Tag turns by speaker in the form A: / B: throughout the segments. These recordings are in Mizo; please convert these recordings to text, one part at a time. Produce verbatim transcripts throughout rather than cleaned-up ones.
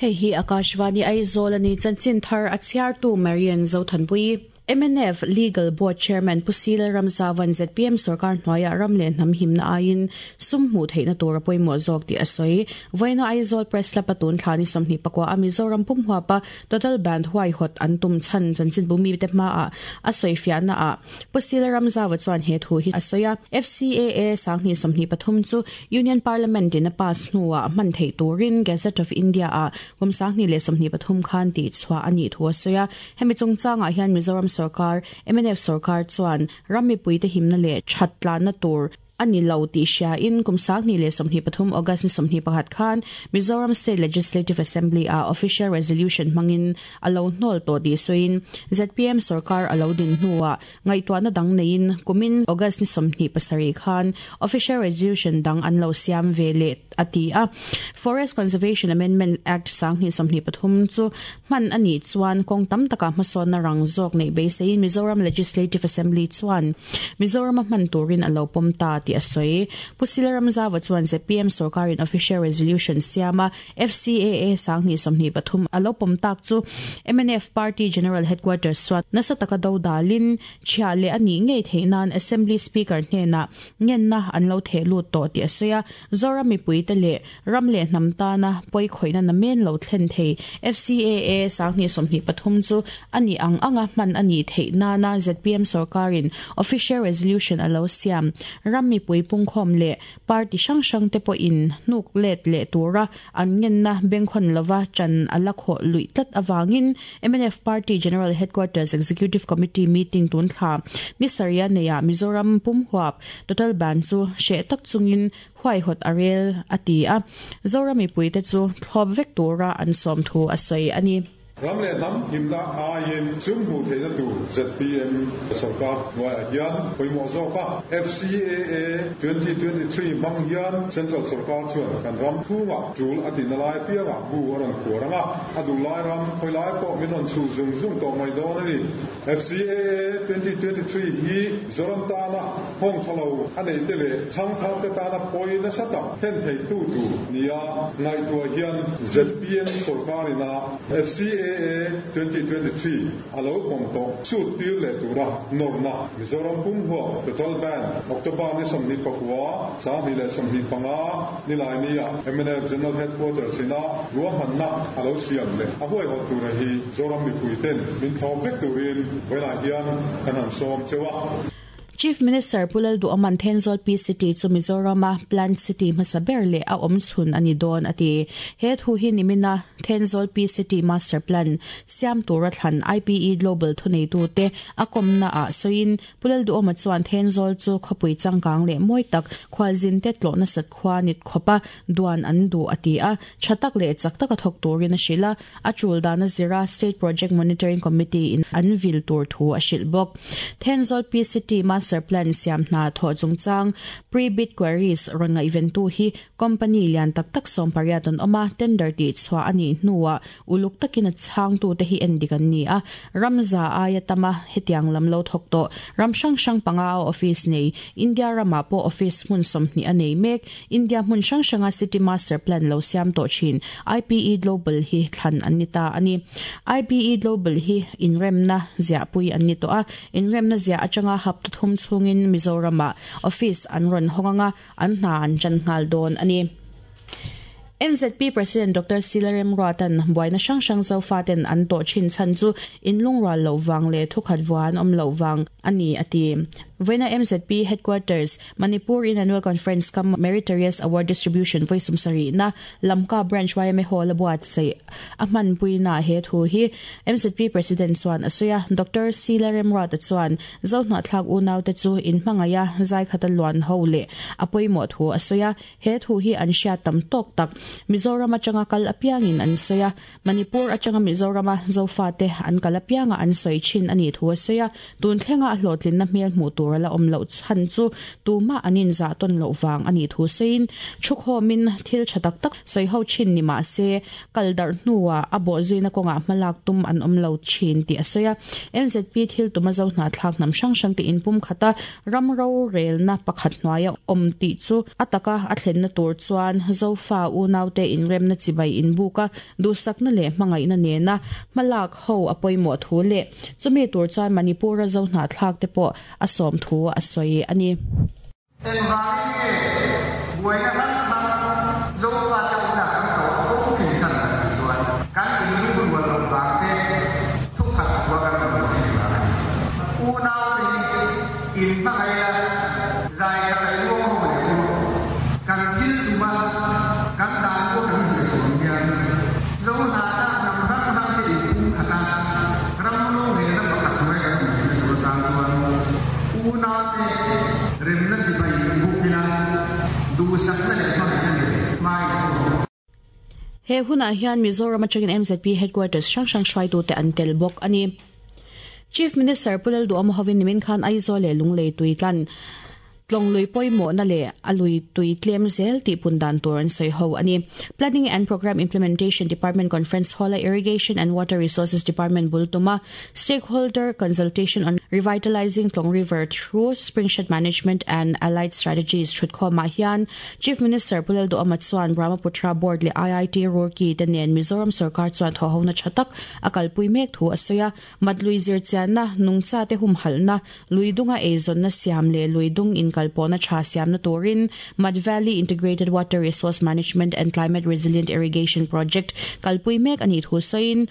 A: Hei hi Akashvani Aizawl ani chanchin thar a chhiartu Marian Zothanpui. M N F Legal Board Chairman Pu C Lalramzavan Z P M sarkar hnuaia ram leh hnam himna aiin sum hmuh theihna tur a pawimawh zawk tih a sawi. Vawiina Aizawl Press Club a tun thla ni sawmhnih pakua a Mizoram pum huapa total ban huaihawt an tum chhan chanchinbu mite hmaah a sawi fiahnaah Pu C Lalramzava chuan he thu hi a sawi a. F C A A sanghnih sawmhnih pathum chu Union Parliament in a pass hnuah hman theih turin Gazette of India ah kum sanghnih leh sawmhnih pathum khan tih chhuah a nih thu a sawi a. Hemi chungchangah hian Mizoram sarkar M N F sarkar chuan ram mipuite himna leh that tlanna tur ani lo tih hria in kum sanghnih leh sawmhnih pathum August ni sawmhnih pakhat khan Mizoram State Legislative Assembly a official resolution hmangin a lo hnawl tawh tih sawiin Z P M sarkar a lo din hnuah ngaihtuahna dang neiin kumin August ni sawmhnih pasarih khan official resolution dang an lo siam ve leh a ti a. Forest Conservation Amendment Act sanghnih sawmhnih pathum chu hman ani chuan kawng tam taka hmasawnna rang zawk nei beiseiin Mizoram Legislative Assembly chuan Mizoram a hman turin a lo pawm ta tih a sawi. Pu C Lalramzava chuan Z P M sarkarin official resolution siama F C A A sanghnih sawmhnih pathum a lo pawm tak chu M N F Party General Headquarters chuan nasa taka do dalin chhia leh ani ngei theihnan Assembly Speaker hnenah ngenna an lo theh lut tawh tih a sawi a. Zoram mipuite leh ram leh hnam tana pawi khawihna namen lo thlen thei F C A A sanghnih sawmhnih pathum chu ani ang anga hman ani theih nana Z P M sarkarin official resolution a lo siam ram mipui pungkhawm leh party hrang hrang te pawhin hnuk let leh tura an ngenna bengkhawn lova chan ala khaw luih tlat awangin M N F Party General Headquarters Executive Committee meeting tun thla ni saria neia Mizoram pum huap total ban chu hre tak chungin huaihawt a rel a ti a. Zoram mipuite chu thlawp vek tura an sawm thu a sawi ani.
B: Ram leh hnam himna aiin sum hmuh theihna tur Z P M sarkar hnuaiah hian pawimawh zawk a. F C A A twenty twenty-three hmang hian Central sarkar chuan kan ram chhungah tul a tina lai piangah bu a rawn khuar anga a duh lai ram khawi lai pawh min rawn chhuh zung zung tawh mai dawn a ni. F C A A twenty twenty-three hi Zoram tana nghawng thalo a nei te leh thangthar te tana pawi nasa tak thlen thei tu tu nia ngaihtuah hian Z P M sarkarina F C A A twenty twenty-three a lo pawm tawh sut tir leh tura nawrna Mizoram pum huap total ban October ni sawmhnih pakua sanghnih leh sawmhnih panga nilai nia M N F General Headquarters ina ruahmanna a lo siam leh a huaihawt tura hi Zoram mipui ten min thlawp vek turin vawiinah hian kan han sawm chewa.
A: Chief Minister Pu Lalduhoma'n Thenzawl Peace City chu Mizorama Planned City hmasa ber leh a awm chhun ani dawn a ti. He thu hi nimina Thenzawl Peace City Master Plan siam tura thlan I P E Global thuneitu te a kawmna ah sawiin Pu Lalduhoma chuan Thenzawl chu khawpui changkang leh mawi tak khualzin te tlawhna sat khua nit khopa duan an du a ti a. Thatak leh chak taka thawk turin a hrila a tul dana zira State Project Monitoring Committee in an vil tur thu a hrilh bawk. Thenzawl Peace City Master Plan siam hna thaw chungchang pre-bid queries rawn ngaihven tu hi company lian tak tak sawm pariat an awma tender ti chhuah ani hnuah uluk takin a chhang tu te hi en dik an ni a. Ramza aia tama hetiang lam lo thawk tawh ram hrang hrang panga a office nei India rama pawh office hmun sawmhnih a nei mek India hmun hrang hranga City Master Plan lo siam tawh thin I P E Global hi thlan an ni ta ani. I P E Global hi inremna ziahpui an ni tawh a. Inremna ziah atanga hapta thum chhungin Mizorama office an rawn hawnganga an hna an chan nghal dawn ani. M Z P President Doctor C Lalremruata'n buaina hrang hrang zofaten an tawh thin chan chu inlung rual lo wang leh thukhat vuan awm lo wang ani a ti. Vawiina M Z P Headquarters Manipur in Annual Conference kam Meritorious Award Distribution voisum sari na Lamka Branch Y M A Hall buat sei a hman puina he thu hi M Z P President chuan a sawi a. Doctor C Lalremruata chuan zo hnahthlak unaute chu in hmangaya zai khata luan ho leh a pawimawh thu a sawi a. He thu hi an hriat tam tawk tak Mizoram atanga kal apiangin an sawi a. Manipur atanga Mizorama zofate an kal apianga an sawi thin ani thu a sawi a. Tun thlenga a hlawhtlinna hmel hmuh tur ala awm loh chhan chu tuma anin za ton loh wang ani thu sawiin thukhawmin thil tha tak tak sawi ho thin ni ma se kal dar hnuwa a bo zuina kawnga hmalak tum an awm lo thin tih a sawi a. M Z P thil tuma zo hnahthlak hnam hrang hrang te in pum khata ram ro relna pakhat hnuaia awm tih chu ataka a thlenna tur chuan zofa unau naute inremna chibai inbuka duhsakna leh hmangaihna nena hmalak ho a pawimawh thu leh chumi tur chuan Manipur a zo hnahthlak te pawh a sawm thu a sawi a ni. He hunah hian Mizoram atangin M Z P headquarters hrang hrang hruaitute an tel bawk a ni. Chief Minister Pu Lalduhoma hovin nimin khan Aizawl leh Lunglei tuitlan Tlonglui pawimawhna leh a lui tui tlem zel tih pun dan tur an sawi ho a ni. Planning and Program Implementation Department Conference Hall a Irrigation and Water Resources Department bul tuma Stakeholder Consultation on Revitalizing Tlong River through Springshed Management and Allied Strategies thutkhawmah hian Chief Minister Pu Lalduhoma chuan Brahmaputra Board leh I I T Roorkee te nen Mizoram sarkar chuan thawhona tha tak a kalpui mek thu a sawi a. Matlui zir chianna nungcha te humhalhna luidunga eizawnna siam leh luidung inkalpawhna tha siamna turin Mad Valley Integrated Water Resource Management and Climate Resilient Irrigation Project kalpui mek ani thu sawiin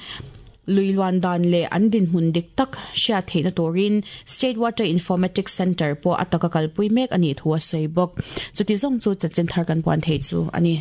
A: luiluan dan leh an dinhmun dik tak hriat theihna turin State Water Informatics Center pawh ataka kalpui mek ani thu a sawi bawk. Chuti zawng chu chanchin thar kan puan thei chu ani.